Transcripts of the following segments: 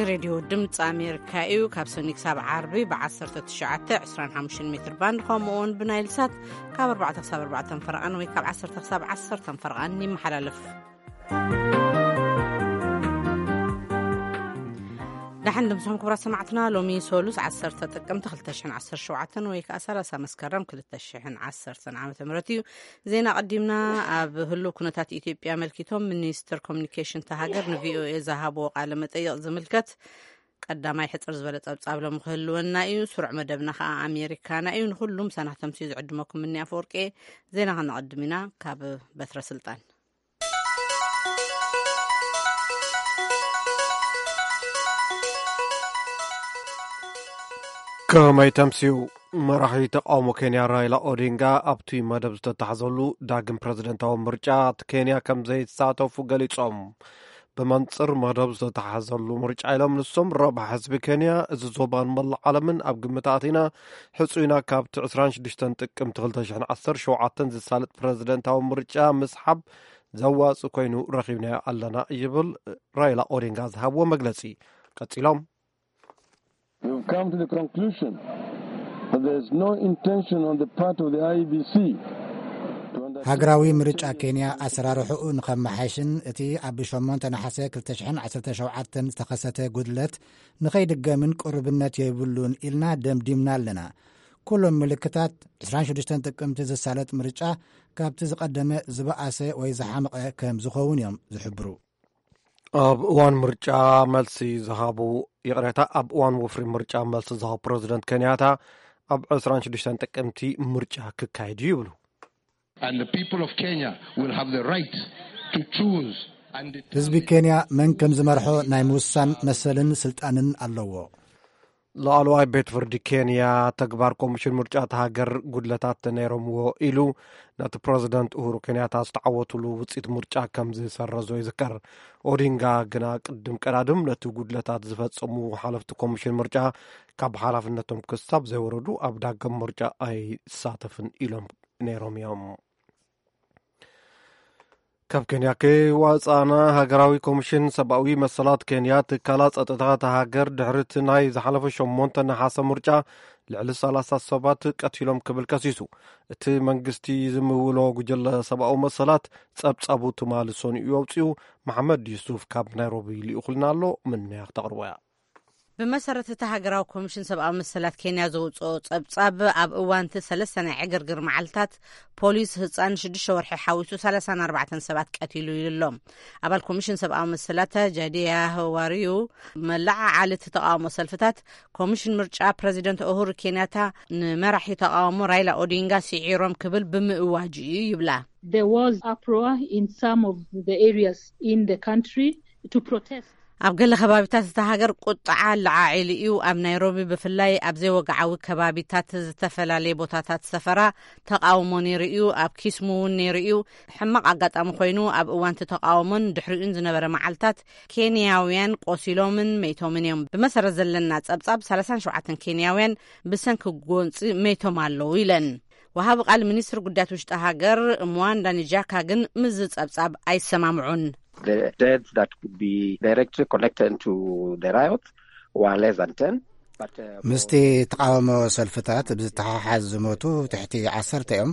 ሬድዮ ድምፂ ኣሜሪካ እዩ። ካብ ሰኒ ክሳብ ዓርቢ ብ19፣ 25 ሜትር ባንድ፣ ከምኡ እውን ብናይል ሳት ካብ ኣርባዕተ ክሳብ ኣርባዕተ ፈረቓን ወይ ካብ ዓሰርተ ክሳብ ዓሰርተ ፈረቓን ይመሓላለፍ። ደሓን ድምፅኹም ክቡራት ሰማዕትና። ሎሚ ሶሉስ ዓሰርተ ጥቅምቲ ክልተ ሽሕን ዓሰርተ ሸውዓተን ወይ ከዓ ሰላሳ መስከረም ክልተ ሽሕን ዓሰርተን ዓመተ ምህረት እዩ። ዜና ቀዲምና። ኣብ ህሉው ኩነታት ኢትዮጵያ ኣመልኪቶም ሚኒስትር ኮሚኒኬሽን እታ ሃገር ንቪኦኤ ዝሃብዎ ቃለ መጠይቕ ዝምልከት ቀዳማይ ሕፅር ዝበለ ጸብጻብ ሎሚ ክህልወና እዩ። ስሩዕ መደብና ከዓ ኣሜሪካና እዩ። ንኹሉም ሰናህተምሲ ዝዕድመኩም እኒ ኣፈወርቂ። ዜና ከነቐድም ኢና። ካብ በትረ ስልጣን። ከመይ ተምስዩ? መራሒ ተቃውሞ ኬንያ ራይላ ኦዲንጋ ኣብቲ መደብ ዝተታሕዘሉ ዳግም ፕረዚደንታዊ ምርጫ ኬንያ ከም ዘይሳተፉ ገሊጾም። ብመንጽር መደብ ዝተታሕዘሉ ምርጫ ኢሎም ንሶም፣ ረብሓ ህዝቢ ኬንያ፣ እዚ ዞባን መላእ ዓለምን ኣብ ግምት ኣቲና፣ ሕጹይና ካብቲ ዕስራን ሽዱሽተን ጥቅምቲ ክልተ ሽሕን ዓሰርተ ሸውዓተን ዝሳለጥ ፕረዚደንታዊ ምርጫ ምስሓብ ዘዋጽእ ኮይኑ ረኺብናዮ ኣለና ይብል ራይላ ኦዲንጋ ዝሃብዎ መግለጺ። ቀጺሎም። We've come to the conclusion that there is no intention on the part of the I E B C to undertake ሃገራዊ ምርጫ ኬንያ ኣሰራርሕኡ ንኸመሓይሽን እቲ ኣብ ሸሞንተ ነሓሰ ክልተ ሽሕን ዓሰርተ ሸውዓተን ዝተኸሰተ ጉድለት ንኸይድገምን ቅሩብነት የብሉን ኢልና ደምዲምና ኣለና። ኩሎም ምልክታት ዕስራን ሽዱሽተን ጥቅምቲ ዝሳለጥ ምርጫ ካብቲ ዝቐደመ ዝበኣሰ ወይ ዝሓመቐ ከም ዝኸውን እዮም ዝሕብሩ። ኣብ እዋን ምርጫ መልሲ ዝሃቡ፣ ይቕሬታ፣ ኣብ እዋን ወፍሪ ምርጫ መልሲ ዝሃቡ ፕረዚደንት ኬንያታ፣ ኣብ ዕስራን ሽዱሽተን ጥቅምቲ ምርጫ ክካየድ እዩ ይብሉ። And the people of Kenya will have the right to choose and determine ህዝቢ ኬንያ መን ከም ዝመርሖ ናይ ምውሳን መሰልን ስልጣንን ኣለዎ። ላዕለዋይ ቤት ፍርዲ ኬንያ፣ ተግባር ኮሚሽን ምርጫ እታ ሃገር ጉድለታት ነይሮምዎ ኢሉ ነቲ ፕረዚደንት ኡሁሩ ኬንያታ ዝተዓወትሉ ውፅኢት ምርጫ ከም ዝሰረዞ ይዝከር። ኦዲንጋ ግና ቅድም ቀዳድም ነቲ ጉድለታት ዝፈጸሙ ሓለፍቲ ኮሚሽን ምርጫ ካብ ሓላፍነቶም ክሳብ ዘይወረዱ ኣብ ዳግም ምርጫ ኣይሳተፍን ኢሎም ነይሮም እዮም። ካብ ኬንያ ከይወጻእና፣ ሃገራዊ ኮሚሽን ሰብኣዊ መሰላት ኬንያ፣ ትካላት ጸጥታ እታ ሃገር፣ ድሕሪ እቲ ናይ ዝሓለፈ ሸሞንተ ነሓሰ ምርጫ ልዕሊ ሰላሳ ሰባት ቀቲሎም ክብል ከሲሱ። እቲ መንግስቲ ዝምውሎ ጉጅለ ሰብኣዊ መሰላት ጸብጻቡ ትማሊ ሰኑኡ ኣውጺኡ። መሓመድ ዩሱፍ ካብ ናይሮቢ ልኢኹልና ኣሎ፣ ምንያ ክተቕርቦ እያ። ብመሰረት እቲ ሃገራዊ ኮሚሽን ሰብኣዊ መሰላት ኬንያ ዘውፅኦ ጸብጻብ፣ ኣብ እዋን እቲ ሰለስተ ናይ ዕግርግር መዓልታት ፖሊስ ህፃን ሽዱሽተ ወርሒ ሓዊሱ ሰላሳን ኣርባዕተን ሰባት ቀቲሉ ኢሉ ኣሎ። ኣባል ኮሚሽን ሰብኣዊ መሰላት ጃዲያ ዋሪዩ፣ መለዓዓሊ እቲ ተቃውሞ ሰልፍታት፣ ኮሚሽን ምርጫ ፕረዚደንት ኡሁሩ ኬንያታ ንመራሒ ተቃውሞ ራይላ ኦዲንጋ ስዒሮም ክብል ብምእዋጁ እዩ ይብላ። There was uproar in some of the areas in the country to protest. ኣብ ገለ ከባቢታት እታ ሃገር ቁጥዓ ለዓዒሉ እዩ። ኣብ ናይሮቢ ብፍላይ ኣብ ዘይወግዓዊ ከባቢታት ዝተፈላለየ ቦታታት ሰፈራ ተቃውሞ ነይሩ እዩ። ኣብ ኪስሙ እውን ነይሩ እዩ። ሕማቕ ኣጋጣሚ ኮይኑ፣ ኣብ እዋን እቲ ተቃውሞን ድሕሪኡን ዝነበረ መዓልታት ኬንያውያን ቆሲሎምን መይቶምን እዮም። ብመሰረት ዘለና ጸብጻብ፣ ሰላሳን ሸውዓተን ኬንያውያን ብሰንኪ ጎንጺ መይቶም ኣለዉ ኢለን። ወሃቢ ቃል ሚኒስትሪ ጉዳያት ውሽጢ ሃገር ምዋንዳ ንጃካ ግን ምስዚ ጸብጻብ ኣይሰማምዑን። The deaths that could be directly connected to the riot were less than ten, but, uh, ምስቲ ተቃውሞ ሰልፍታት ብዝተሓሓዝ ዝሞቱ ትሕቲ ዓሰርተ እዮም።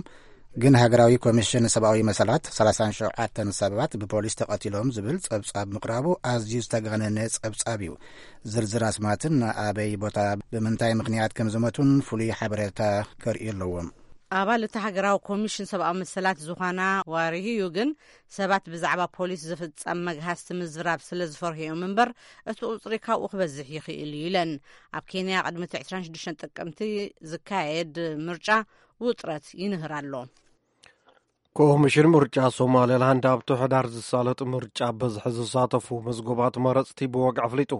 ግን ሃገራዊ ኮሚሽን ሰብኣዊ መሰላት ሰላሳን ሸውዓተን ሰባት ብፖሊስ ተቐቲሎም ዝብል ጸብጻብ ምቕራቡ ኣዝዩ ዝተጋነነ ጸብጻብ እዩ። ዝርዝር ኣስማትን ኣበይ ቦታ ብምንታይ ምኽንያት ከም ዝሞቱን ፍሉይ ሓበሬታ ከርእዩ ኣለዎም። ኣባል እቲ ሃገራዊ ኮሚሽን ሰብኣዊ መሰላት ዝኾና ዋርሂዩ ግን፣ ሰባት ብዛዕባ ፖሊስ ዝፍጸም መግሃስቲ ምዝራብ ስለ ዝፈርሁ እዮም እምበር፣ እቲ ቁጽሪ ካብኡ ክበዝሕ ይኽእል እዩ ኢለን። ኣብ ኬንያ ቅድሚ እቲ ዕስራን ሽዱሽተን ጥቅምቲ ዝካየድ ምርጫ ውጥረት ይንህር ኣሎ። ኮሚሽን ምርጫ ሶማሌላንድ ኣብቲ ሕዳር ዝሳለጥ ምርጫ በዝሒ ዝሳተፉ መዝጎባት መረፅቲ ብወግዒ ኣፍሊጡ።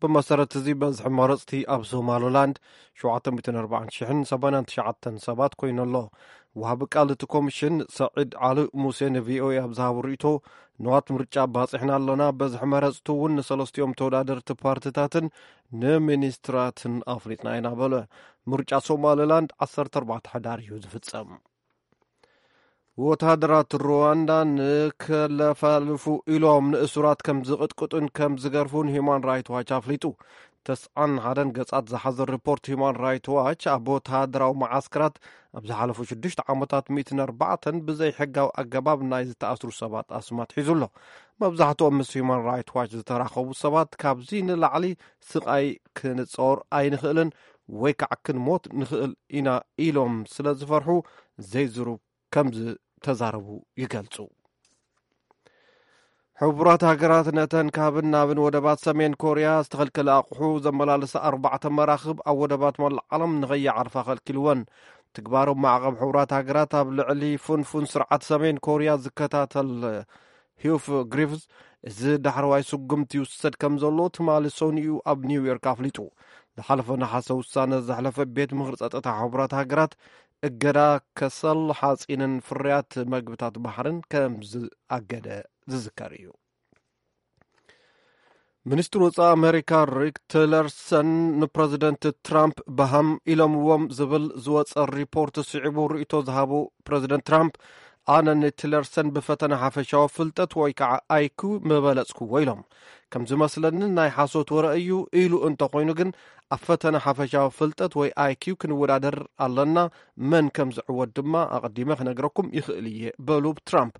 ብመሰረት እዚ በዝሒ መረፅቲ ኣብ ሶማሌላንድ ሸውዓተ ሚእትን ኣርባዓን ሽሕን ሰማንያን ትሽዓተን ሰባት ኮይኑ ኣሎ። ወሃቢ ቃል እቲ ኮሚሽን ሰዒድ ዓሊ ሙሴ ንቪኦኤ ኣብ ዝሃቦ ርእይቶ፣ ንዋት ምርጫ ባፂሕና ኣለና፣ በዝሒ መረፅቲ እውን ንሰለስቲኦም ተወዳደርቲ ፓርቲታትን ንሚኒስትራትን ኣፍሊጥና ኢና በለ። ምርጫ ሶማሌላንድ ዓሰርተ ኣርባዕተ ሕዳር እዩ ዝፍፀም። ወተሃደራት ሩዋንዳ ንከለፋልፉ ኢሎም ንእሱራት ከም ዝቕጥቅጡን ከም ዝገርፉን ሂዩማን ራይት ዋች ኣፍሊጡ። ተስዓን ሓደን ገጻት ዝሓዘ ሪፖርት ሂዩማን ራይት ዋች፣ ኣብ ወተሃደራዊ መዓስከራት ኣብ ዝሓለፉ ሽዱሽተ ዓመታት ሚእትን ኣርባዕተን ብዘይ ሕጋዊ ኣገባብ ናይ ዝተኣስሩ ሰባት ኣስማት ሒዙ ኣሎ። መብዛሕትኦም ምስ ሂዩማን ራይት ዋች ዝተራኸቡ ሰባት ካብዚ ንላዕሊ ስቓይ ክንጾር ኣይንኽእልን ወይ ከዓ ክንሞት ንኽእል ኢና ኢሎም ስለ ዝፈርሑ ዘይዝሩብ ከም ዝተዛረቡ ይገልጹ። ሕቡራት ሃገራት ነተን ካብን ናብን ወደባት ሰሜን ኮርያ ዝተኸልከለ ኣቑሑ ዘመላልሳ ኣርባዕተ መራኽብ ኣብ ወደባት መላእ ዓለም ንኸይዓርፋ ከልኪልወን። ትግባሮም ማዕቐብ ሕቡራት ሃገራት ኣብ ልዕሊ ፍንፉን ስርዓት ሰሜን ኮርያ ዝከታተል ሂዩፍ ግሪፍዝ፣ እዚ ዳሕረዋይ ስጉምቲ ይውሰድ ከም ዘሎ ትማሊ ሰኑዩ ኣብ ኒውዮርክ ኣፍሊጡ። ዝሓለፈ ነሓሰ ውሳነ ዘሕለፈ ቤት ምኽሪ ጸጥታ ሕቡራት ሃገራት እገዳ ከሰል ሓጺንን ፍርያት መግብታት ባሕርን ከም ዝኣገደ ዝዝከር እዩ። ሚኒስትሪ ወጻኢ ኣሜሪካ ሪክ ቲለርሰን ንፕረዚደንት ትራምፕ በሃም ኢሎምዎም ዝብል ዝወጸ ሪፖርት ስዒቡ ርእይቶ ዝሃቡ ፕረዚደንት ትራምፕ፣ ኣነ ንቲለርሰን ብፈተነ ሓፈሻዊ ፍልጠት ወይ ከዓ ኣይኩ ምበለጽክዎ ኢሎም። ከም ዝመስለኒ ናይ ሓሶት ወረ እዩ ኢሉ እንተኾይኑ ግን ኣብ ፈተነ ሓፈሻዊ ፍልጠት ወይ ኣይኪ ክንወዳደር ኣለና፣ መን ከም ዝዕወት ድማ ኣቐዲመ ክነግረኩም ይኽእል እየ በሉ ትራምፕ።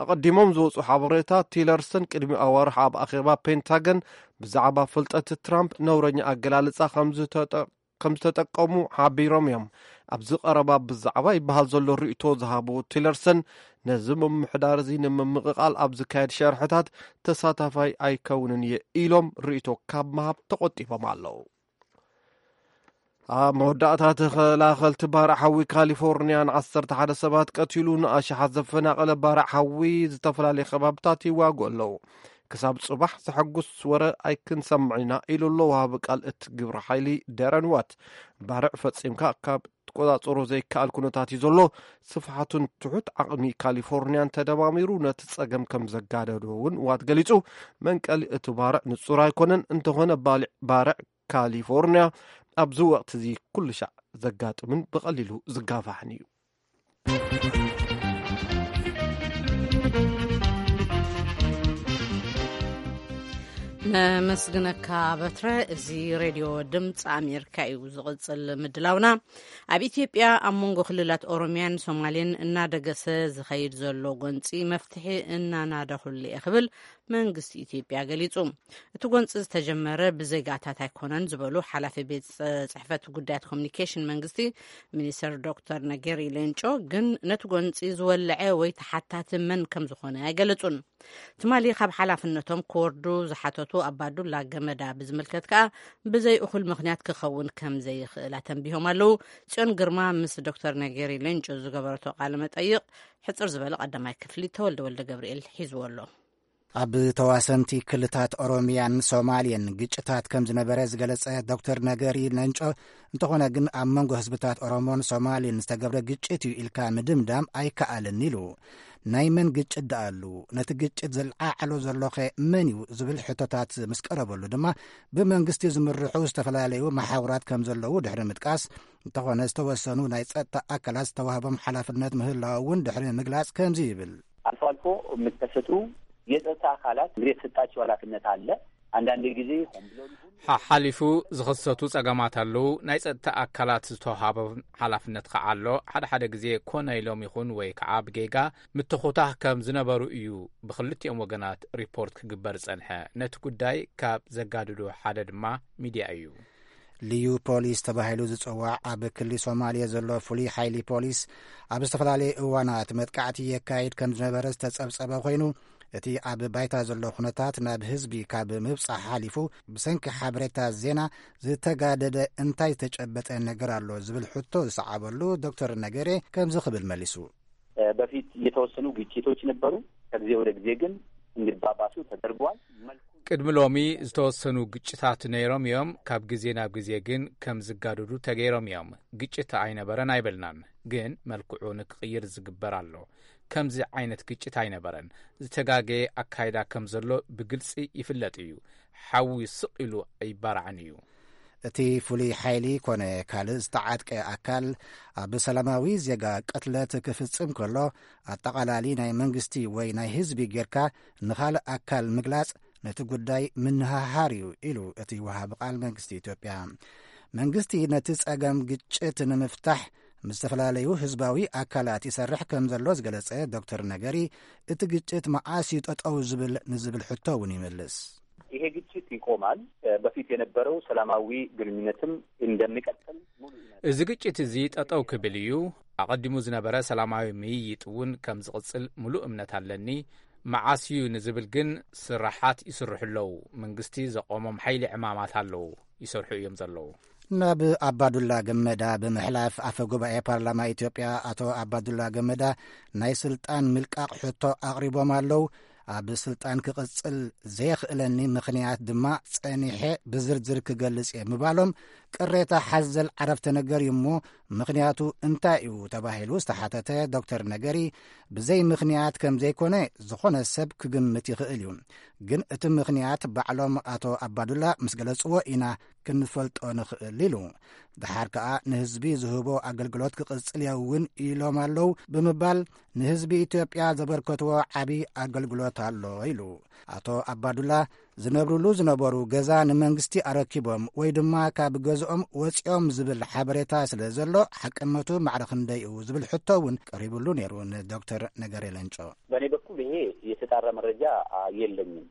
ኣቐዲሞም ዝወጹ ሓበሬታ ቲለርሰን ቅድሚ ኣዋርሕ ኣብ ኣኼባ ፔንታገን ብዛዕባ ፍልጠት ትራምፕ ነውረኛ ኣገላልጻ ከም ዝተጠ- ከም ዝተጠቀሙ ሓቢሮም እዮም። ኣብዚ ቀረባ ብዛዕባ ይበሃል ዘሎ ርእይቶ ዝሃቡ ቲለርሰን ነዚ ምምሕዳር እዚ ንምምቕቓል ኣብ ዝካየድ ሸርሕታት ተሳታፋይ ኣይከውንን እየ ኢሎም ርእይቶ ካብ ምሃብ ተቆጢቦም ኣለዉ። ኣብ መወዳእታ ተኸላኸልቲ ባርዕ ሓዊ ካሊፎርኒያ ንዓሰርተ ሓደ ሰባት ቀቲሉ ንኣሽሓት ዘፈናቐለ ባርዕ ሓዊ ዝተፈላለየ ከባብታት ይዋግኡ ኣለዉ። ክሳብ ጽባሕ ዘሐጉስ ወረ ኣይክንሰምዕ ኢና ኢሉ ኣሎ ወሃቢ ቃል እቲ ግብረ ሓይሊ ደረን ዋት። ባርዕ ፈጺምካ ካብ ትቆጻጸሮ ዘይከኣል ኩነታት እዩ ዘሎ። ስፍሓቱን ትሑት ዓቕሚ ካሊፎርኒያን ተደማሚሩ ነቲ ጸገም ከም ዘጋደዶ እውን ዋት ገሊጹ። መንቀሊ እቲ ባርዕ ንጹር ኣይኮነን፣ እንተኾነ ባልዕ- ባርዕ ካሊፎርኒያ ኣብዚ ወቕቲ እዚ ኩሉ ሻዕ ዘጋጥምን ብቐሊሉ ዝጋፋሕን እዩ። ነመስግነካ በትረ። እዚ ሬድዮ ድምፂ ኣሜሪካ እዩ። ዝቕፅል ምድላውና፣ ኣብ ኢትዮጵያ ኣብ መንጎ ክልላት ኦሮሚያን ሶማሌን እናደገሰ ዝኸይድ ዘሎ ጎንፂ መፍትሒ እናናደኹሉ እየ ክብል መንግስቲ ኢትዮጵያ ገሊጹ። እቲ ጎንፂ ዝተጀመረ ብዜጋታት ኣይኮነን ዝበሉ ሓላፊ ቤት ጽ- ጽሕፈት ጉዳያት ኮሚኒኬሽን መንግስቲ ሚኒስተር ዶክተር ነገሪ ሌንጮ ግን ነቲ ጎንፂ ዝወለዐ ወይ ተሓታቲ መን ከም ዝኾነ ኣይገለጹን። ትማሊ ካብ ሓላፍነቶም ክወርዱ ዝሓተቱ ኣባዱላ ገመዳ ብዝምልከት ከኣ ብዘይ እኹል ምኽንያት ክኸውን ከም ዘይኽእል ኣተንቢሆም ኣለዉ። ጽዮን ግርማ ምስ ዶክተር ነገሪ ሌንጮ ዝገበረቶ ቃለ መጠይቕ ሕጽር ዝበለ ቀዳማይ ክፍሊ ተወልደ ወልደ ገብርኤል ሒዝዎ ኣሎ። ኣብ ተዋሰንቲ ክልታት ኦሮሚያን ሶማሌን ግጭታት ከም ዝነበረ ዝገለጸ ዶክተር ነገሪ ሌንጮ፣ እንተኾነ ግን ኣብ መንጎ ህዝብታት ኦሮሞን ሶማሌን ዝተገብረ ግጭት እዩ ኢልካ ምድምዳም ኣይከኣልን ኢሉ። ናይ መን ግጭት ደኣሉ? ነቲ ግጭት ዘልዓዕሎ ዘሎኸ መን እዩ ዝብል ሕቶታት ምስ ቀረበሉ ድማ ብመንግስቲ ዝምርሑ ዝተፈላለዩ መሓውራት ከም ዘለዉ ድሕሪ ምጥቃስ፣ እንተኾነ ዝተወሰኑ ናይ ጸጥታ ኣካላት ዝተዋህቦም ሓላፍነት ምህላው እውን ድሕሪ ምግላጽ ከምዚ ይብል። አልፎ አልፎ የሚከሰቱ የጸጥታ አካላት እንግዲህ የተሰጣቸው ኃላፊነት አለ። አንዳንድ ጊዜ ሆን ብሎ ይሁን ሓሓሊፉ ዝኸሰቱ ጸገማት ኣለዉ። ናይ ጸጥታ ኣካላት ዝተዋሃቦም ሓላፍነት ከዓ ኣሎ። ሓደ ሓደ ግዜ ኮነ ኢሎም ይኹን ወይ ከዓ ብጌጋ ምትኹታኽ ከም ዝነበሩ እዩ ብክልቲኦም ወገናት ሪፖርት ክግበር ዝጸንሐ። ነቲ ጉዳይ ካብ ዘጋድዶ ሓደ ድማ ሚድያ እዩ። ልዩ ፖሊስ ተባሂሉ ዝጽዋዕ ኣብ ክሊ ሶማልያ ዘሎ ፍሉይ ሓይሊ ፖሊስ ኣብ ዝተፈላለየ እዋናት መጥቃዕቲ የካይድ ከም ዝነበረ ዝተጸብጸበ ኮይኑ፣ እቲ ኣብ ባይታ ዘሎ ኩነታት ናብ ህዝቢ ካብ ምብጻሕ ሓሊፉ ብሰንኪ ሓበሬታ ዜና ዝተጋደደ እንታይ ዝተጨበጠ ነገር ኣሎ ዝብል ሕቶ ዝሰዓበሉ ዶክተር ነገሬ ከምዚ ክብል መሊሱ። በፊት የተወሰኑ ግጭቶች ነበሩ። ከጊዜ ወደ ጊዜ ግን እንዲባባሱ ተደርጓል። መልኩ ቅድሚ ሎሚ ዝተወሰኑ ግጭታት ነይሮም እዮም። ካብ ግዜ ናብ ግዜ ግን ከም ዝጋደዱ ተገይሮም እዮም። ግጭት ኣይነበረን ኣይበልናን፣ ግን መልክዑ ንክቕይር ዝግበር ኣሎ። ከምዚ ዓይነት ግጭት ኣይነበረን። ዝተጋገየ ኣካይዳ ከም ዘሎ ብግልጺ ይፍለጥ እዩ። ሓዊ ስቕ ኢሉ ኣይባራዕን እዩ። እቲ ፍሉይ ሓይሊ ኮነ ካልእ ዝተዓጥቀ ኣካል ኣብ ሰላማዊ ዜጋ ቅትለት ክፍጽም ከሎ፣ ኣጠቓላሊ ናይ መንግስቲ ወይ ናይ ህዝቢ ጌርካ ንኻልእ ኣካል ምግላጽ ነቲ ጉዳይ ምንሃሃር እዩ ኢሉ እቲ ወሃቢ ቃል መንግስቲ ኢትዮጵያ። መንግስቲ ነቲ ጸገም ግጭት ንምፍታሕ ምስ ዝተፈላለዩ ህዝባዊ ኣካላት ይሰርሕ ከም ዘሎ ዝገለጸ ዶክተር ነገሪ፣ እቲ ግጭት መዓስ እዩ ጠጠው ዝብል ንዝብል ሕቶ እውን ይመልስ። ይሄ ግጭት ይቆማል። በፊት የነበረው ሰላማዊ ግንኙነትም እንደሚቀጥል ሙሉ እምነት እዚ ግጭት እዚ ጠጠው ክብል እዩ። ኣቐዲሙ ዝነበረ ሰላማዊ ምይይጥ እውን ከም ዝቕጽል ሙሉእ እምነት ኣለኒ። መዓስ እዩ ንዝብል ግን ስራሓት ይስርሑ ኣለዉ። መንግስቲ ዘቆሞም ሓይሊ ዕማማት ኣለዉ፣ ይሰርሑ እዮም ዘለዉ። ናብ ኣባዱላ ገመዳ ብምሕላፍ፣ ኣፈ ጉባኤ ፓርላማ ኢትዮጵያ ኣቶ ኣባዱላ ገመዳ ናይ ስልጣን ምልቃቕ ሕቶ ኣቕሪቦም ኣለዉ። ኣብ ስልጣን ክቕጽል ዘየኽእለኒ ምኽንያት ድማ ጸኒሐ ብዝርዝር ክገልጽ እየ ምባሎም ቅሬታ ሓዘል ዓረፍተ ነገር እዩ እሞ፣ ምኽንያቱ እንታይ እዩ ተባሂሉ ዝተሓተተ ዶክተር ነገሪ፣ ብዘይ ምኽንያት ከም ዘይኮነ ዝኾነ ሰብ ክግምት ይኽእል እዩ። ግን እቲ ምኽንያት ባዕሎም ኣቶ ኣባዱላ ምስ ገለጽዎ ኢና ክንፈልጦ ንኽእል ኢሉ። ደሓር ከኣ ንህዝቢ ዝህቦ ኣገልግሎት ክቕጽል እየ እውን ኢሎም ኣለዉ ብምባል ንህዝቢ ኢትዮጵያ ዘበርከትዎ ዓቢ ኣገልግሎት ኣሎ ኢሉ። ኣቶ ኣባዱላ ዝነብሩሉ ዝነበሩ ገዛ ንመንግስቲ ኣረኪቦም ወይ ድማ ካብ ገዝኦም ወጺኦም ዝብል ሓበሬታ ስለ ዘሎ፣ ሓቅነቱ ማዕረ ክንደይ እዩ ዝብል ሕቶ እውን ቀሪብሉ ነይሩ ንዶክተር ነገሪ ለንጮ። በእኔ በኩል ይሄ የተጣራ መረጃ የለኝም።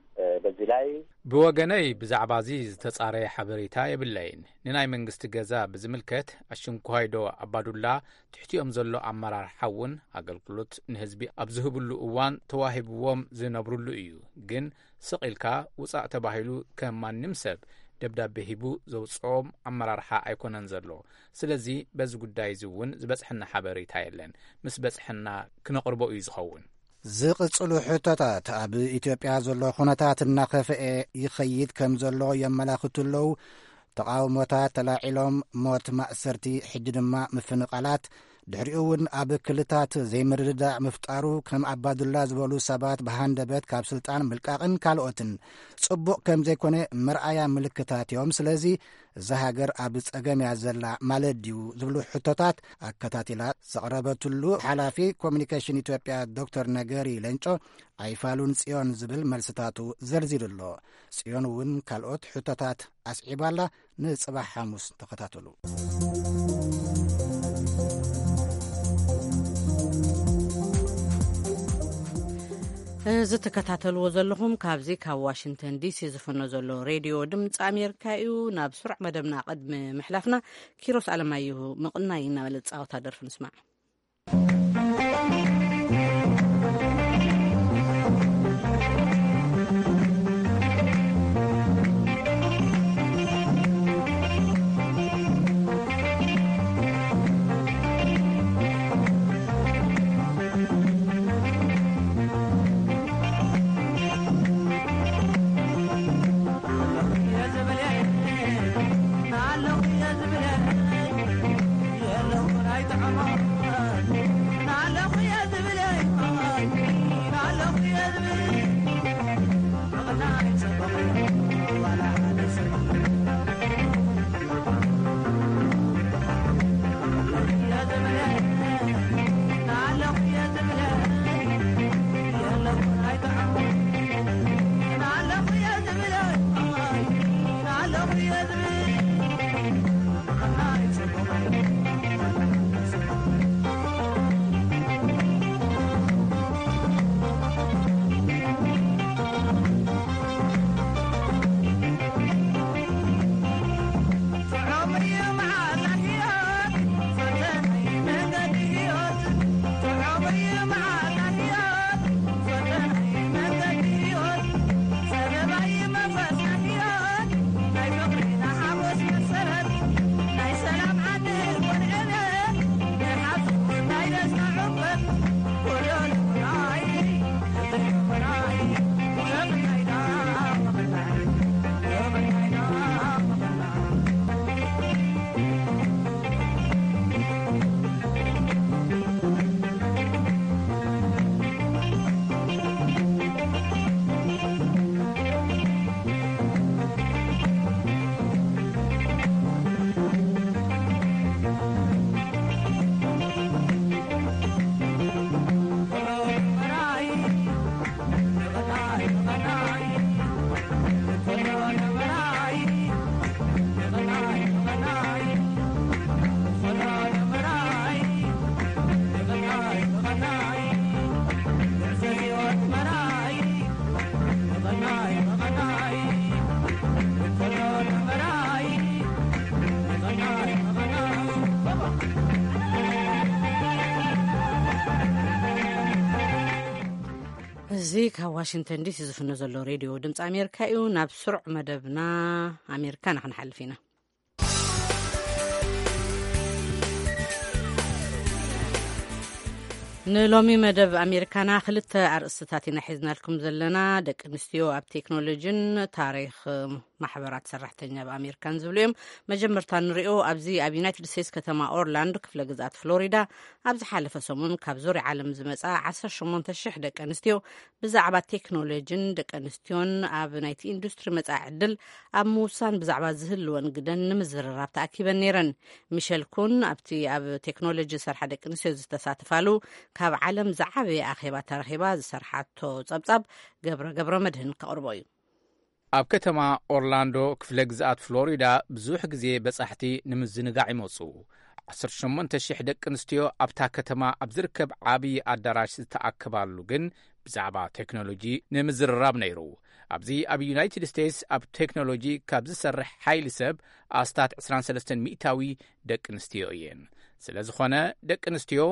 በዚህ ላይ ብወገነይ ብዛዕባ እዚ ዝተጻረየ ሓበሬታ የብለይን። ንናይ መንግስቲ ገዛ ብዝምልከት፣ ኣሽንኳይዶ ኣባዱላ ትሕቲኦም ዘሎ ኣመራርሓ እውን ኣገልግሎት ንህዝቢ ኣብ ዝህብሉ እዋን ተዋሂብዎም ዝነብሩሉ እዩ። ግን ስቕ ኢልካ ውጻእ ተባሂሉ ከም ማንም ሰብ ደብዳቤ ሂቡ ዘውጽኦም ኣመራርሓ ኣይኮነን ዘሎ። ስለዚ በዚ ጉዳይ እዚ እውን ዝበጽሐና ሓበሬታ የለን። ምስ በጽሐና ክነቕርቦ እዩ ዝኸውን። ዝቕጽሉ ሕቶታት፣ ኣብ ኢትዮጵያ ዘሎ ኩነታት እናኸፍኤ ይኸይድ ከም ዘሎ የመላኽቱ ኣለዉ። ተቓውሞታት ተላዒሎም፣ ሞት፣ ማእሰርቲ፣ ሕጂ ድማ ምፍንቓላት፣ ድሕሪኡ እውን ኣብ ክልታት ዘይምርድዳእ ምፍጣሩ፣ ከም ኣባዱላ ዝበሉ ሰባት ብሃንደበት ካብ ስልጣን ምልቃቕን ካልኦትን ጽቡቕ ከም ዘይኮነ መርኣያ ምልክታት እዮም። ስለዚ እዛ ሃገር ኣብ ጸገም እያ ዘላ ማለት ድዩ ዝብሉ ሕቶታት ኣከታቲላ ዘቕረበትሉ ሓላፊ ኮሚኒኬሽን ኢትዮጵያ ዶክተር ነገሪ ለንጮ፣ ኣይፋሉን ጽዮን ዝብል መልስታቱ ዘርዚሩ ኣሎ። ጽዮን እውን ካልኦት ሕቶታት ኣስዒባላ። ንጽባሕ ሓሙስ ተኸታተሉ። እዚ ትከታተልዎ ዘለኹም ካብዚ ካብ ዋሽንግተን ዲሲ ዝፍኖ ዘሎ ሬድዮ ድምፂ ኣሜሪካ እዩ። ናብ ስሩዕ መደብና ቅድሚ ምሕላፍና፣ ኪሮስ ኣለማየሁ ምቕናይ እናበለ ዝፃወታ ደርፊ ንስማዕ። እዚ ካብ ዋሽንግተን ዲሲ ዝፍኖ ዘሎ ሬድዮ ድምፂ ኣሜሪካ እዩ። ናብ ስሩዕ መደብና ኣሜሪካ ንክንሓልፍ ኢና። ንሎሚ መደብ ኣሜሪካና ክልተ ኣርእስትታት ኢና ሒዝናልኩም ዘለና። ደቂ ኣንስትዮ ኣብ ቴክኖሎጂን ታሪኽ ማሕበራት ሰራሕተኛ ኣብ ኣሜሪካን ዝብሉ እዮም። መጀመርታ ንሪኦ፣ ኣብዚ ኣብ ዩናይትድ ስቴትስ ከተማ ኦርላንዶ ክፍለ ግዝኣት ፍሎሪዳ ኣብ ዝሓለፈ ሰሙን ካብ ዙርያ ዓለም ዝመጻ ዓሰርተ ሸሞንተ ሽሕ ደቂ ኣንስትዮ ብዛዕባ ቴክኖሎጂን ደቂ ኣንስትዮን ኣብ ናይቲ ኢንዱስትሪ መጻኢ ዕድል ኣብ ምውሳን ብዛዕባ ዝህልወን ግደን ንምዝርራብ ተኣኪበን ነይረን። ሚሸል ኩን ኣብቲ ኣብ ቴክኖሎጂ ዝሰርሓ ደቂ ኣንስትዮ ዝተሳተፋሉ ካብ ዓለም ዝዓበየ ኣኼባ ተረኺባ ዝሰርሓቶ ጸብጻብ ገብረ ገብረ መድህን ከቕርቦ እዩ። ኣብ ከተማ ኦርላንዶ ክፍለ ግዝኣት ፍሎሪዳ ብዙሕ ግዜ በጻሕቲ ንምዝንጋዕ ይመጹ። ዓሰርተ ሸሞንተ ሽሕ ደቂ ኣንስትዮ ኣብታ ከተማ ኣብ ዝርከብ ዓብዪ ኣዳራሽ ዝተኣከባሉ ግን ብዛዕባ ቴክኖሎጂ ንምዝርራብ ነይሩ። ኣብዚ ኣብ ዩናይትድ ስቴትስ ኣብ ቴክኖሎጂ ካብ ዝሰርሕ ሓይሊ ሰብ ኣስታት ዕስራን ሰለስተን ሚእታዊ ደቂ ኣንስትዮ እየን። ስለ ዝኾነ ደቂ ኣንስትዮ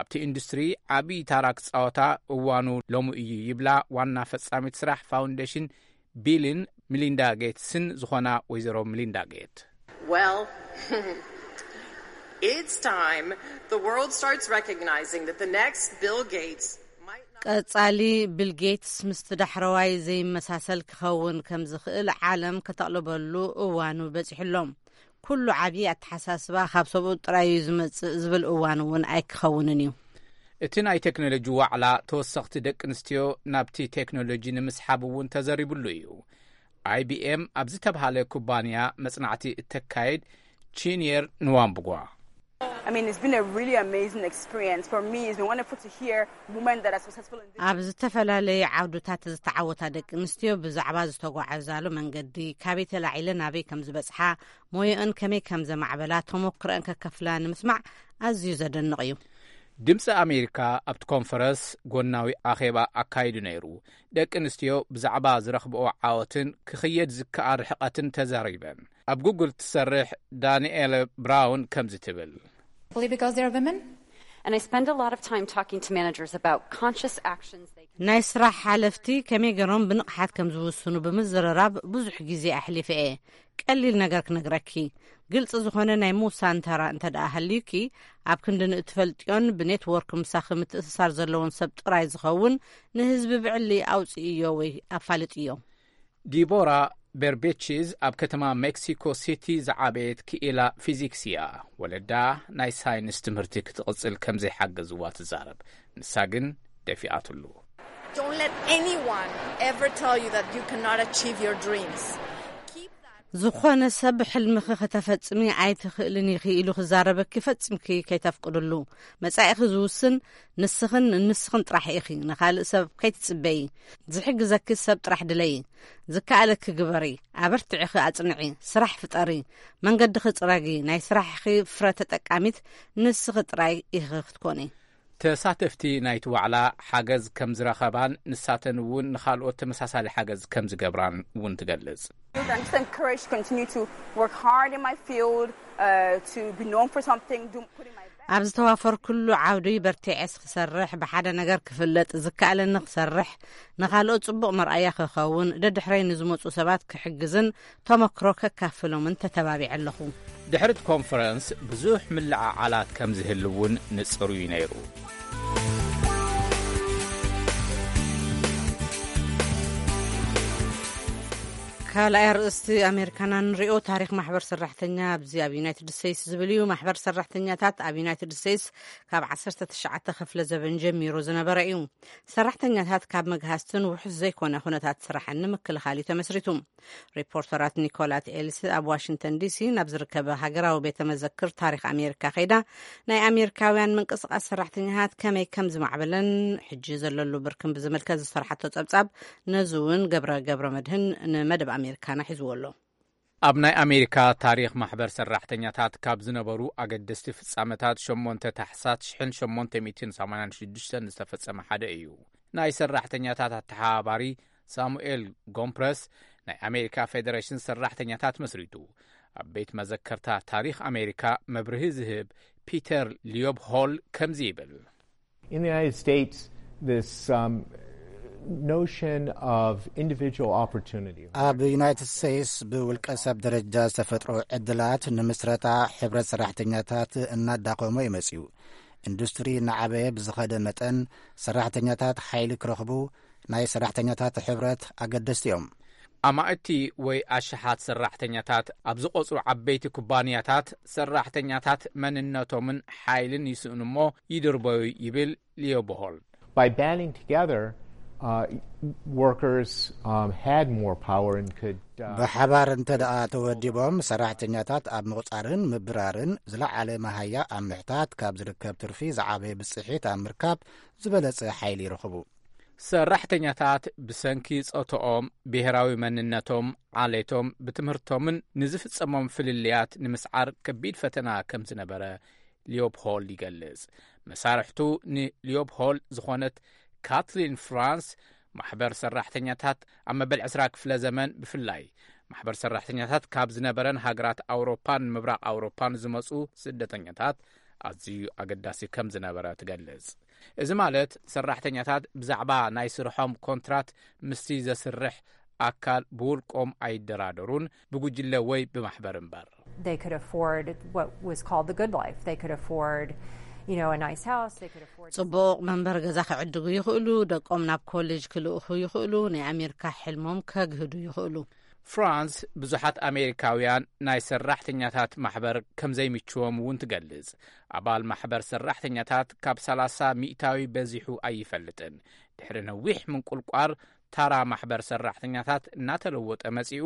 ኣብቲ ኢንዱስትሪ ዓብዪ ታራ ክጻወታ እዋኑ ሎሚ እዩ ይብላ ዋና ፈጻሚት ስራሕ ፋውንዴሽን ቢልን ሚሊንዳ ጌትስን ዝኾና ወይዘሮ ሚሊንዳ ጌት። Well, it's time the world starts recognizing that the next Bill Gates might not. ቀጻሊ ቢል ጌትስ ምስቲ ዳሕረዋይ ዘይመሳሰል ክኸውን ከም ዝኽእል ዓለም ከተቕልበሉ እዋኑ በጺሑ ኣሎ። ኩሉ ዓብዪ ኣተሓሳስባ ካብ ሰብኡ ጥራይ እዩ ዝመጽእ ዝብል እዋን እውን ኣይክኸውንን እዩ። እቲ ናይ ቴክኖሎጂ ዋዕላ ተወሰኽቲ ደቂ ኣንስትዮ ናብቲ ቴክኖሎጂ ንምስሓብ እውን ተዘሪብሉ እዩ። ኣይቢኤም ኣብ ዝተብሃለ ኩባንያ መጽናዕቲ እተካየድ ቺንየር ንዋምብጓ። I mean, it's been a really amazing experience. For me, it's been wonderful to hear women that are successful in this. ኣብ ዝተፈላለዩ ዓውድታት ዝተዓወታ ደቂ ኣንስትዮ ብዛዕባ ዝተጓዓዛሉ መንገዲ፣ ካበይ ተላዒለን ናበይ ከም ዝበጽሓ፣ ሞዮአን ከመይ ከም ዘማዕበላ፣ ተሞክሮአን ከከፍላ ንምስማዕ ኣዝዩ ዘደንቕ እዩ። ድምፂ ኣሜሪካ ኣብቲ ኮንፈረንስ ጎናዊ ኣኼባ ኣካይዱ ነይሩ። ደቂ ኣንስትዮ ብዛዕባ ዝረኽብኦ ዓወትን ክኽየድ ዝከኣል ርሕቐትን ተዛሪበን። ኣብ ጉግል ትሰርሕ ዳንኤለ ብራውን ከምዚ ትብል። Probably because they're women. And I spend a lot of time talking to managers about conscious actions they can. ናይ ስራሕ ሓለፍቲ ከመይ ገይሮም ብንቕሓት ከም ዝውስኑ ብምዝርራብ ብዙሕ ግዜ ኣሕሊፈ እየ። ቀሊል ነገር ክነግረኪ፣ ግልፂ ዝኾነ ናይ ምውሳን ተራ እንተ ደኣ ሃልዩኪ፣ ኣብ ክንዲ ንእትፈልጥዮን ብኔትወርክ ምሳኺ ምትእስሳር ዘለዎን ሰብ ጥራይ ዝኸውን ንህዝቢ ብዕሊ ኣውፅእዮ ወይ ኣፋልጥዮ። ዲቦራ ቤርቤቺዝ ኣብ ከተማ ሜክሲኮ ሲቲ ዝዓበየት ክኢላ ፊዚክስ እያ። ወለዳ ናይ ሳይንስ ትምህርቲ ክትቕጽል ከም ዘይሓገዝዋ ትዛረብ። ንሳ ግን ደፊኣትሉ። Don't let anyone ever tell you that you cannot achieve your dreams. Keep that. ዝኾነ ሰብ ሕልምኺ ከተፈጽሚ ኣይትኽእልን ኢኺ ኢሉ ክዛረበኪ ፈጺምኪ ከይተፍቅድሉ። መጻኢኺ ዝውስን ንስኽን ንስኽን ጥራሕ ኢኺ። ንኻልእ ሰብ ከይትጽበዪ። ዝሕግዘኪ ሰብ ጥራሕ ድለዪ። ዝከኣለኪ ግበሪ። ኣበርትዒኺ ኣጽንዒ። ስራሕ ፍጠሪ። መንገድኺ ጽረጊ። ናይ ስራሕኺ ፍረ ተጠቃሚት ንስኺ ጥራይ ኢኺ ክትኮኒ። ተሳተፍቲ ናይቲ ዋዕላ ሓገዝ ከም ዝረኸባን ንሳተን እውን ንኻልኦት ተመሳሳሊ ሓገዝ ከም ዝገብራን እውን ትገልጽ። I'm just encouraged to continue to work hard in my field, uh, to be known for something, do, putting my best. ኣብ ዝተዋፈርኩሉ ዓውዲ በርቲዐስ ክሰርሕ፣ ብሓደ ነገር ክፍለጥ፣ ዝከኣለኒ ክሰርሕ፣ ንኻልኦት ጽቡቕ መርኣያ ክኸውን፣ ደድሕረይ ንዝመጹ ሰባት ክሕግዝን ተመክሮ ከካፍሎምን ተተባቢዐ ኣለኹ። ድሕሪ እቲ ኮንፈረንስ ብዙሕ ምልዕዓላት ከም ዝህሉ እውን ንጽሩ እዩ ነይሩ። ካልኣይ ኣርእስቲ ኣሜሪካና ንሪኦ። ታሪኽ ማሕበር ሰራሕተኛ ኣብዚ ኣብ ዩናይትድ ስቴትስ ዝብል እዩ። ማሕበር ሰራሕተኛታት ኣብ ዩናይትድ ስቴትስ ካብ ዓሰርተ ትሽዓተ ክፍለ ዘበን ጀሚሩ ዝነበረ እዩ። ሰራሕተኛታት ካብ መግሃስትን ውሑስ ዘይኮነ ኩነታት ስራሕን ንምክልኻል እዩ ተመስሪቱ። ሪፖርተራት ኒኮላት ኤልስ ኣብ ዋሽንግተን ዲሲ ናብ ዝርከበ ሃገራዊ ቤተ መዘክር ታሪኽ ኣሜሪካ ከይዳ ናይ ኣሜሪካውያን ምንቅስቃስ ሰራሕተኛታት ከመይ ከም ዝማዕበለን ሕጂ ዘለሉ ብርክን ብዝምልከት ዝሰርሓቶ ጸብጻብ ነዚ እውን ገብረ ገብረ መድህን ንመደብ ኣሜሪካና ሒዝዎ ኣሎ። ኣብ ናይ ኣሜሪካ ታሪኽ ማሕበር ሰራሕተኛታት ካብ ዝነበሩ ኣገደስቲ ፍጻመታት ሸሞንተ ታሕሳስ ሽሕን ሸሞንተ ሚእትን ሰማንያን ሽዱሽተን ዝተፈጸመ ሓደ እዩ። ናይ ሰራሕተኛታት ኣተሓባባሪ ሳሙኤል ጎምፕረስ ናይ ኣሜሪካ ፌደሬሽን ሰራሕተኛታት መስሪቱ። ኣብ ቤት መዘከርታ ታሪኽ ኣሜሪካ መብርሂ ዝህብ ፒተር ሊዮብ ሆል ከምዚ ይብል። In the United States, this um, notion of individual opportunity. ኣብ ዩናይትድ ስቴትስ ብውልቀ ሰብ ደረጃ ዝተፈጥሮ ዕድላት ንምስረታ ሕብረት ሰራሕተኛታት እናዳኸሞ ይመጽኡ። ኢንዱስትሪ እናዓበየ ብዝኸደ መጠን ሰራሕተኛታት ሓይሊ ክረኽቡ ናይ ሰራሕተኛታት ሕብረት ኣገደስቲ እዮም። ኣማእቲ ወይ ኣሽሓት ሰራሕተኛታት ኣብ ዝቖጽሩ ዓበይቲ ኩባንያታት ሰራሕተኛታት መንነቶምን ሓይልን ይስእኑ እሞ ይድርበዩ ይብል ሊዮ ቦሆል። By banding together, uh, workers um, had more power and could. Uh, ብሓባር እንተ ደኣ ተወዲቦም ሰራሕተኛታት ኣብ ምቑጻርን ምብራርን ዝለዓለ መሃያ ኣብ ምሕታት ካብ ዝርከብ ትርፊ ዝዓበየ ብጽሒት ኣብ ምርካብ ዝበለጸ ሓይሊ ይረኽቡ። ሰራሕተኛታት ብሰንኪ ጾቶኦም፣ ብሄራዊ መንነቶም፣ ዓሌቶም፣ ብትምህርቶምን ንዝፍጸሞም ፍልልያት ንምስዓር ከቢድ ፈተና ከም ዝነበረ ሊዮፕሆልድ ይገልጽ። መሳርሕቱ ንሊዮፕሆልድ ዝኾነት ካትሊን ፍራንስ፣ ማሕበር ሰራሕተኛታት ኣብ መበል ዕስራ ክፍለ ዘመን ብፍላይ ማሕበር ሰራሕተኛታት ካብ ዝነበረን ሃገራት ኣውሮፓን ምብራቕ ኣውሮፓን ዝመጹ ስደተኛታት ኣዝዩ ኣገዳሲ ከም ዝነበረ ትገልጽ። እዚ ማለት ሰራሕተኛታት ብዛዕባ ናይ ስርሖም ኮንትራት ምስቲ ዘስርሕ ኣካል ብውልቆም ኣይደራደሩን፣ ብጉጅለ ወይ ብማሕበር እምበር። They could afford what was called the good life. They could afford, you know, a nice house. They could afford ጽቡቕ መንበር ገዛ ክዕድጉ ይኽእሉ፣ ደቆም ናብ ኮሌጅ ክልእኹ ይኽእሉ፣ ናይ ኣሜሪካ ሕልሞም ከግህዱ ይኽእሉ። ፍራንስ ብዙሓት ኣሜሪካውያን ናይ ሰራሕተኛታት ማሕበር ከም ዘይምችዎም እውን ትገልጽ። ኣባል ማሕበር ሰራሕተኛታት ካብ ሰላሳ ሚእታዊ በዚሑ ኣይፈልጥን። ድሕሪ ነዊሕ ምንቁልቋር ታራ ማሕበር ሰራሕተኛታት እናተለወጠ መጺኡ፣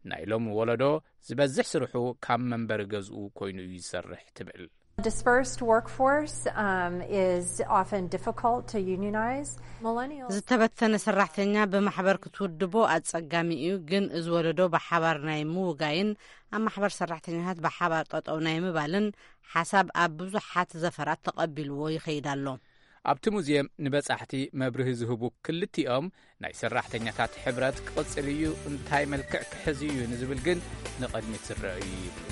ናይ ሎሚ ወለዶ ዝበዝሕ ስርሑ ካብ መንበሪ ገዝኡ ኮይኑ እዩ ዝሰርሕ ትብል። Dispersed workforce um, is often difficult to unionize. Millennials. ዝተበተነ ሰራሕተኛ ብማሕበር ክትውድቦ ኣጸጋሚ እዩ፣ ግን እዚ ወለዶ ብሓባር ናይ ምውጋይን ኣብ ማሕበር ሰራሕተኛታት ብሓባር ጠጠው ናይ ምባልን ሓሳብ ኣብ ብዙሓት ዘፈራት ተቐቢልዎ ይኸይድ ኣሎ። ኣብቲ ሙዝየም ንበጻሕቲ መብርሂ ዝህቡ ክልቲኦም ናይ ሰራሕተኛታት ሕብረት ክቕጽል እዩ፣ እንታይ መልክዕ ክሕዝ እዩ ንዝብል ግን ንቕድሚት ዝረአ እዩ ይብሉ።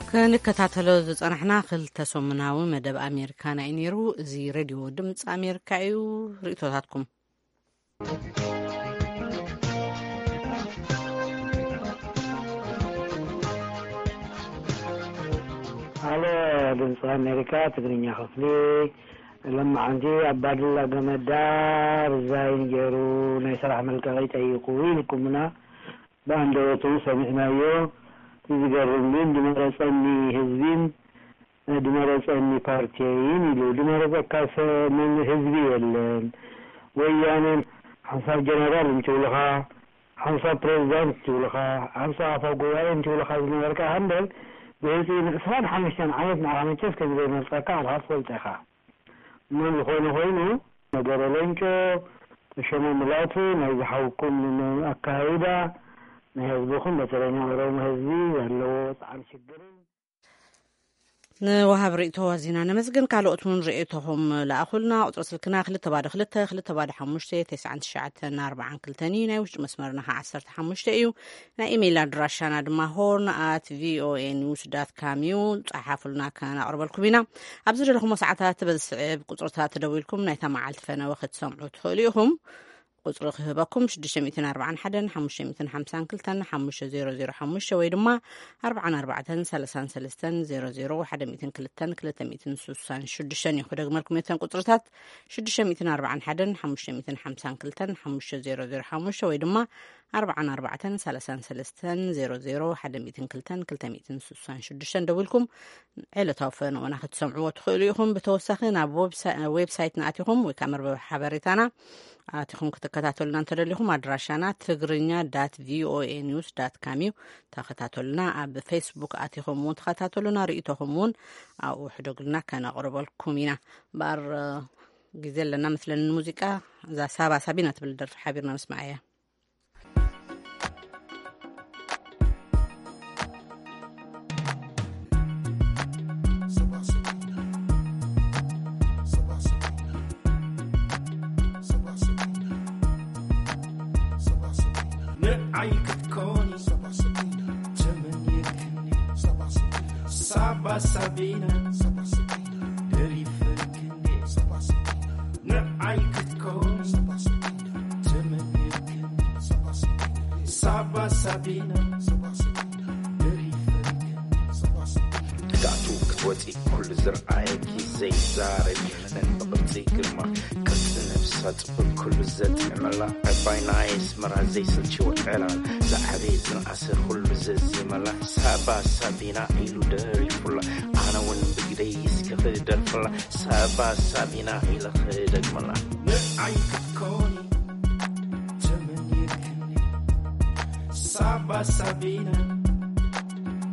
ክንከታተሎ ዝጸናሕና ክልተ ሰሙናዊ መደብ ኣሜሪካና እዩ ነይሩ። እዚ ሬድዮ ድምፂ ኣሜሪካ እዩ። ርእቶታትኩም። ሃሎ፣ ድምፂ ኣሜሪካ ትግርኛ ክፍሊ። ሎማዓንቲ ኣብ ባድላ ገመዳ ርዛይን ገይሩ ናይ ስራሕ መልቀቂ ጠይቁ ኢልኩምና። ብኣንደበቱ ሰሚዕናዮ። እቲ ዝገርም ግን ድመረፀኒ ህዝቢን ድመረፀኒ ፓርቲየይን ኢሉ። ድመረፀካ ሰ-፣ መን ህዝቢ የለን። ወያነ ሓንሳብ ጀነራል እንትብልኻ፣ ሓንሳብ ፕሬዚዳንት እንትብልኻ፣ ሓንሳብ ኣፈ ጉባኤ እንትብልኻ ዝነበርካ እምበር፣ ብህፅይ ንዕስራን ሓሙሽተን ዓመት ንዓኻ መቸስ ከም ዘይመርፀካ ኣኻ ትፈልጦ ኢኻ። እሞ ዝኾነ ኮይኑ፣ ነገረ ሌንጮ፣ ተሾመ ሙላቱ፣ ናይ ዝሓውኩም ኣካይዳ፣ ናይ ህዝብኹም፣ በተለይ ናይ ኦሮሞ ህዝቢ ዘለዎ ጻዕሪ ሽግርን ንወሃብ ርእይቶ ኣዚና ነመስግን። ካልኦት እውን ርእይቶኹም ለኣኹልና። ቁጽሪ ስልክና ክልተ ባዶ ክልተ፣ ክልተ ባዶ ሓሙሽተ፣ ተስዓን ትሽዓተን ኣርባዓን ክልተን እዩ። ናይ ውሽጢ መስመርና ኸዓ ዓሰርተ ሓሙሽተ እዩ። ናይ ኢሜይል ኣድራሻና ድማ ሆርን ኣት ቪኦኤ ኒውስ ዳት ካም እዩ። ጸሓፉልና፣ ከነቕርበልኩም ኢና። ኣብ ዝደለኹሞ ሰዓታት በዚ ስዕብ ቁጽርታት ደዊልኩም ናይታ መዓልቲ ፈነወ ክትሰምዑ ትኽእሉ ኢኹም። ቁጽሪ ክህበኩም ሽዱሽተ ሚእትን ኣርባዓን ሓደን ሓሙሽተ ሚእትን ሓምሳን ክልተን ሓሙሽተ ዜሮ ዜሮ ሓሙሽተ ወይ ድማ ኣርባዓን ኣርባዕተን ሰላሳን ሰለስተን ዜሮ ዜሮ ሓደ ሚእትን ክልተን ክልተ ሚእትን ስሳን ሽዱሽተን እዩ። ክደግመልኩም እተን ቁጽርታት ሽዱሽተ ሚእትን ኣርባዓን ሓደን ሓሙሽተ ሚእትን ሓምሳን ክልተን ሓሙሽተ ዜሮ ዜሮ ሓሙሽተ ወይ ድማ ኣርባዓን ኣርባዕተን ሰላሳን ሰለስተን ዜሮ ዜሮ ሓደ ሚእትን ክልተን ክልተ ሚእትን ስሳን ሽዱሽተን ደዊልኩም ዕለታዊ ፈነወና ክትሰምዕዎ ትኽእሉ ኢኹም። ብተወሳኺ ናብ ዌብሳ-፣ ዌብሳይትና ኣቲኹም ወይ ከዓ መርበብ ሓበሬታና ኣቲኹም ክትከታተሉና እንተደሊኹም ኣድራሻና ትግርኛ ዳት ቪኦኤ ኒውስ ዳት ካም እዩ። ተኸታተሉና። ኣብ ፌስቡክ ኣቲኹም እውን ተኸታተሉና። ርእይቶኹም እውን ኣብኡ ሕደጉልና፣ ከነቕርበልኩም ኢና። እምበኣር ግዜ ኣለና መስለኒ ንሙዚቃ። እዛ ሳባ ሳቢና ትብል ደርፊ ሓቢርና ምስማዕ እያ። ንዓይ ክትኮኒ ተመንየክኒ። ሳቢና ደሪፈክኒ ንዓይ ክትኮኒ ተመኒክኒ ሳባ ሳቢና ደሪፈክኒ ክትኣቱ ክትወፂ ኩሉ ዝረኣየኪ ዘይዛረብ ነን ብቕርፂ ግርማ ቅርፂ ነብሳ ፅቡቅ ኩሉ ዘጥዕመላ ዕባይ ናይ ኣስመራ ዘይስልችው ዕላል ዝዓበየ ዝነኣሰ ኩሉ ዘዚመላ ሳባ ሳቢና ኢሉ ደሪፉላ ኣነ እውን ብግደይ እስኪ ክደርፍላ ሳባ ሳቢና ኢለ ክደግመላ ንዓይ ክትኮኒ ተመኒክኒ ሳባ ሳቢና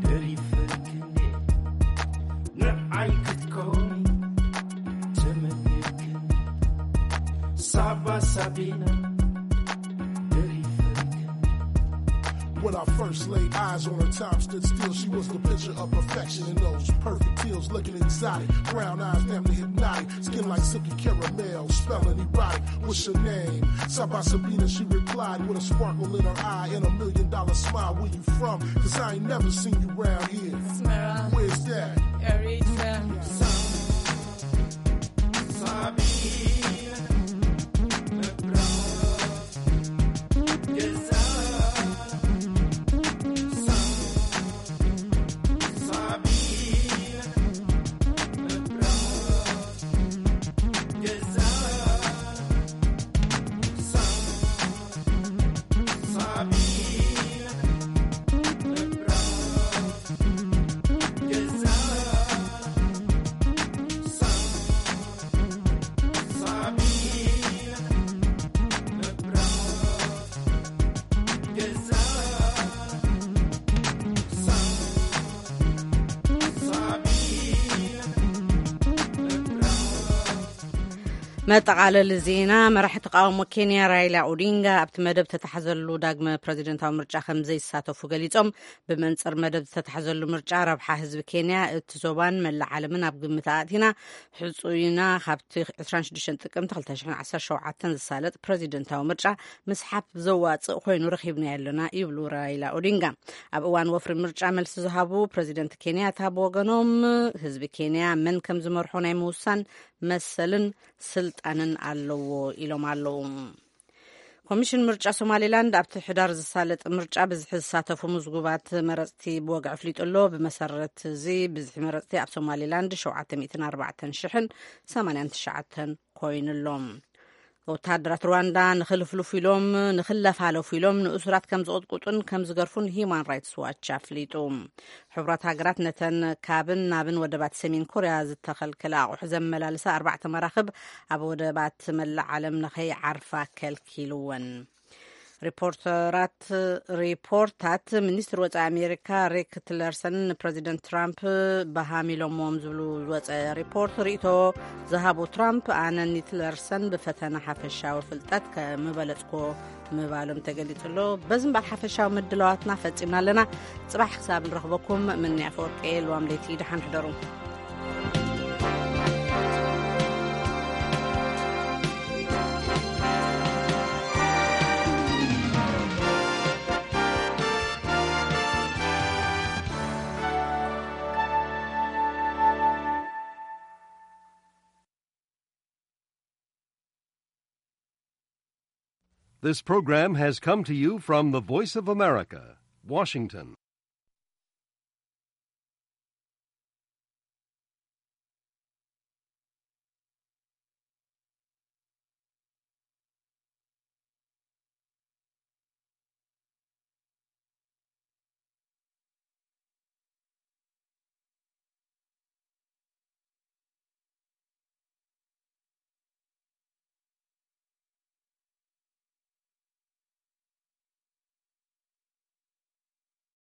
ደሪፈክኒ ንዓይ ክትኮኒ ተመኒክኒ ሳባ ሳቢና ደሪፈክኒ When I first laid eyes on her, time stood still. She was the picture of perfection in those perfect heels, looking exotic. Brown eyes, damn near hypnotic. Skin like silky caramel, smelling erotic. What's your name? Saba Sabina, she replied with a sparkle in her eye and a million dollar smile. Where you from? Cause I ain't never seen you round here. Smera, Where's that? Eritrea. መጠቓለሊ ዜና። መራሒ ተቃውሞ ኬንያ ራይላ ኦዲንጋ ኣብቲ መደብ ተታሕዘሉ ዳግመ ፕረዚደንታዊ ምርጫ ከም ዘይሳተፉ ገሊጾም። ብመንጽር መደብ ዝተታሕዘሉ ምርጫ ረብሓ ህዝቢ ኬንያ፣ እቲ ዞባን መላእ ዓለምን ኣብ ግምት ኣእቲና ሕጹይና ካብቲ ዕስራን ሽዱሽተን ጥቅምቲ ክልተ ሽሕን ዓሰርተ ሸውዓተን ዝሳለጥ ፕረዚደንታዊ ምርጫ ምስሓብ ዘዋጽእ ኮይኑ ረኺብናዮ ኣለና ይብሉ ራይላ ኦዲንጋ። ኣብ እዋን ወፍሪ ምርጫ መልሲ ዝሃቡ ፕረዚደንት ኬንያታ ብወገኖም ህዝቢ ኬንያ መን ከም ዝመርሖ ናይ ምውሳን መሰልን ስልጣንን ኣለዎ ኢሎም ኣለዉ። ኮሚሽን ምርጫ ሶማሌላንድ ኣብቲ ሕዳር ዝሳለጥ ምርጫ ብዝሒ ዝሳተፉ ምዝጉባት መረፅቲ ብወግዒ ኣፍሊጡ ኣሎ። ብመሰረት እዚ ብዝሒ መረፅቲ ኣብ ሶማሌላንድ ሸውዓተ ሚእትን ኣርባዕተን ሽሕን ሰማንያን ትሽዓተን ኮይኑ ኣሎ። ወተሃደራት ሩዋንዳ ንኽልፍልፉ ኢሎም ንኽለፋለፉ ኢሎም ንእሱራት ከም ዝቕጥቁጡን ከም ዝገርፉን ሂዩማን ራይትስ ዋች ኣፍሊጡ። ሕቡራት ሃገራት ነተን ካብን ናብን ወደባት ሰሜን ኮርያ ዝተኸልከለ ኣቑሑ ዘመላልሳ ኣርባዕተ መራኽብ ኣብ ወደባት መላእ ዓለም ንኸይዓርፋ ከልኪልወን። ሪፖርተራት ሪፖርታት ሚኒስትር ወፃኢ ኣሜሪካ ሬክ ቲለርሰን ንፕረዚደንት ትራምፕ በሃም ኢሎምዎም ዝብሉ ዝወፀ ሪፖርት ርእቶ ዝሃቡ ትራምፕ ኣነ ኒትለርሰን ብፈተና ሓፈሻዊ ፍልጠት ከምበለፅኮ ምባሎም ተገሊፁ ኣሎ። በዚ እምበኣር ሓፈሻዊ ምድላዋትና ፈፂምና ኣለና። ፅባሕ ክሳብ ንረኽበኩም ምንያ ፈወርቂ ልዋም ለይቲ ደሓን ሕደሩ። This program has come to you from the Voice of America, Washington.